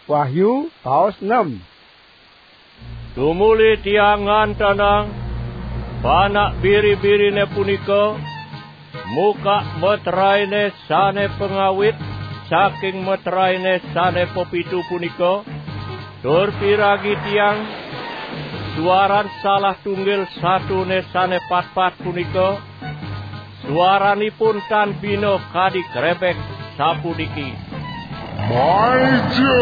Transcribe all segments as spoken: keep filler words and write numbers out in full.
Wahyu, paos enam. Tumuli tiang ngantenang, panak biri-birine punika, muka metraine sane pangawit saking metraine sane pepitu punika, tur piragi tiang, suaran salah tunggil satune sane patpat punika, suaranipun tan bina kadi krebek, sapuniki: "Maija!"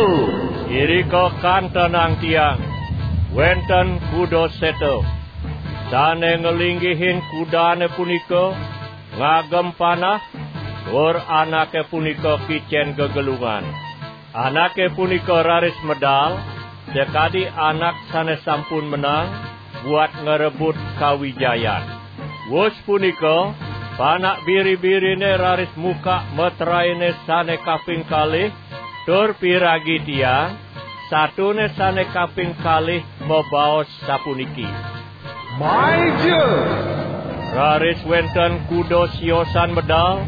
Irika kantenang tiang, wenten kuda seta. Sane nglinggihin kudane punika ngagem panah, tur anake punika kicen gegelungan. Anake punika raris medal, sakadi anak sane sampun menang, buat ngrebut kawijayan. Wus punika, panak biri-birine raris muka metraine sane kaping kalih, tur piragi tiang, satune sane kaping kalih mabaos sapuniki: "Maija!" Raris wenten kuda siosan medal,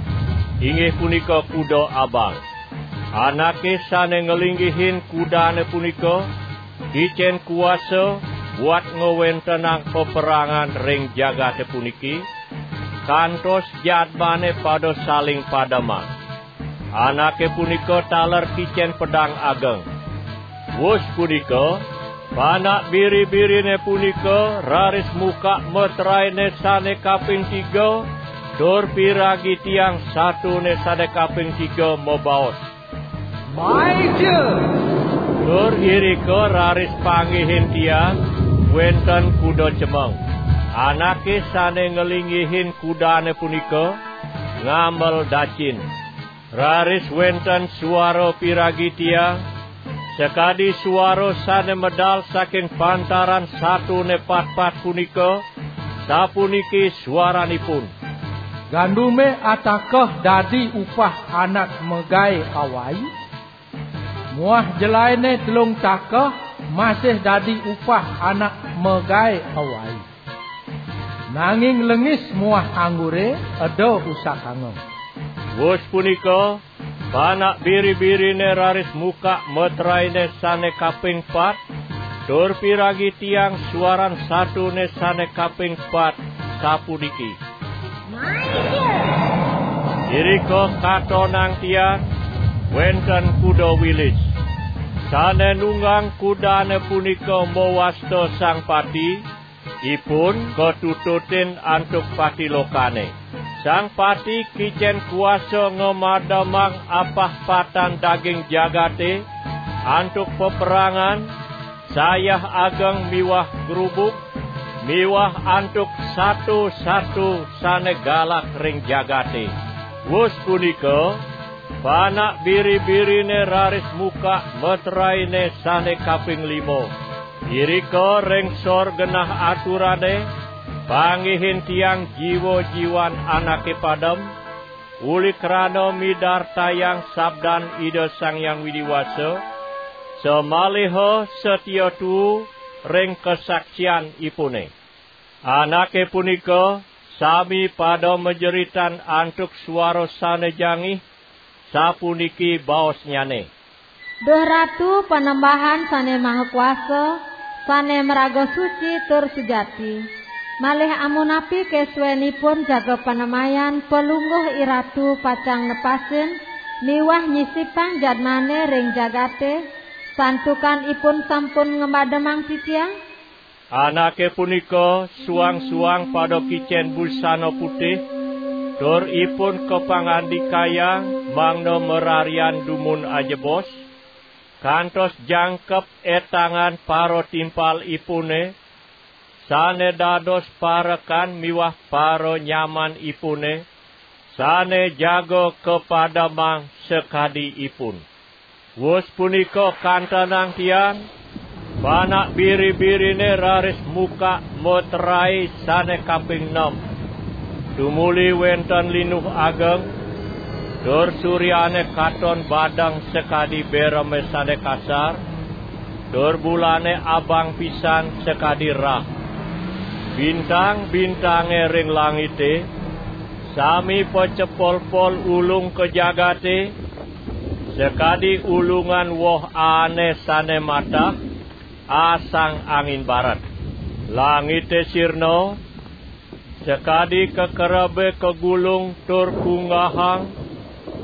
inggih punika kuda abang. Anake sane nglinggihin kudane punika kicen kuasa buat ngwentenang peperangan ring jagate puniki, kantos jadmane pada saling pademang. Anake punika taler kicen pedang ageng. Wus punika, panak biri-birine punika raris muka metraine sane kaping tiga, tur piragi tiang satune sane kaping tiga mabaos: "Maija!" Tur irika raris panggihin tiang, wenten kuda cemeng. Anake sane nglinggihin kudane punika ngambel dacin. Raris wenten suara piragi tiang, sakadi suara sane medal saking pantaran satune patpat punika, sapuniki suaranipun: "Gandume atakeh dadi upah anak magae awai, muah jelaene telung takeh masih dadi upah anak magae awai. Nanging lengis muah anggure eda usakanga." Wus punika, panak biri-birine raris muka metraine sane kaping pat, tur piragi tiang suaran satune sane kaping pat, sapuniki: "Maija!" Irika katonang tiang, wenten kuda wilis. Sane nunggang kudane punika mawasta Sang Pati, ipun katututin antuk pati lokane. Sang Pati kicen kuasa ngamademang apah patan daging jagate antuk peperangan, sayah ageng miwah grubug, miwah antuk sato-sato sane galak ring jagate. Wus punika, panak biri-birine raris muka metraine sane kaping lima. Irika ring sor genah aturane, panggihin tiang jiwa-jiwan anake padem, uli krana midartayang sabdan Ida Sang Hyang Widi Wasa, samaliha satia tuu ring kasaksianipune. Anake punika sami pada majeritan antuk suara sane jangih, sapuniki baosnyane: "Duh Ratu Panembahan Sane Maha Kuasa, sane maraga suci tur sujati, malih amunapi kasuenipun jaga panemayan Palungguh Iratu pacang nepasin miwah nyisipang jadmane ring jagate, santukan ipun sampun ngamademang titiang?" Anake punika suang-suang pada kicen busana putih, tur ipun kapangandikayang mangda mararian dumun ajebos, kantos jangkep etangan paratimpalipune, sane dados parekan miwah paranyamanipune, sane jaga kapademang sakadi ipun. Wus punika kantenang tiang, panak biri-birine raris muka metrae sane kaping nem. Tumuli wenten linuh ageng, tur suryane katon badeng sakadi bereme sane kasar, tur bulane abang pisan sakadi rah. Bintang-bintange ring langite sami pacepolpol ulung ka jagate, Sakadi ulungan woh aane sane matah, asang angin barat. Langite sirna, sakadi kekerebe kagulung tur kunggahang,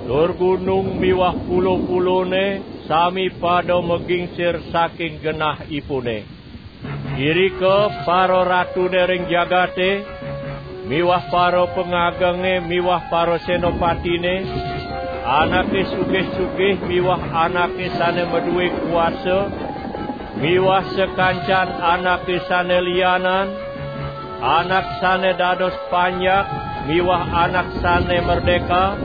tur gunung miwah pulo-pulone sami pada magingsir saking genahipune. Irika pararatune ring jagate, miwah parapangagenge, miwah parasenapatine, anake sugih-sugih miwah anake sane madue kuasa, miwah sakancan anake sane lianan, anak sane dados panjak miwah anak sane merdeka,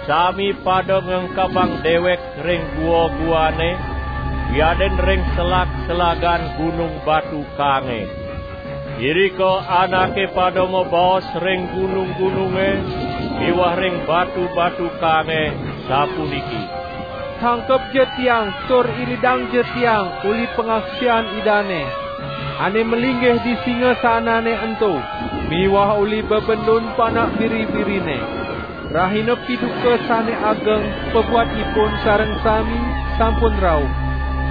sami pada ngengkebang dewek ring gua-guane, wiadin ring selag-selagan gunung batu kange. Irika anake pada mabaos ring gunung-gununge miwah ring batu-batu kange, sapuniki: "Tangkepja tiang tur iridangja tiang uli pangaksian Idane, ane malinggih di singasanane ento, miwah uli bebendun panak biri-birine. Rahina piduka sane ageng pabuat ipun sareng sami sampun rauh.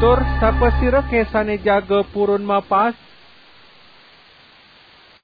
Tur sapasirake sane jaga purun mapas?"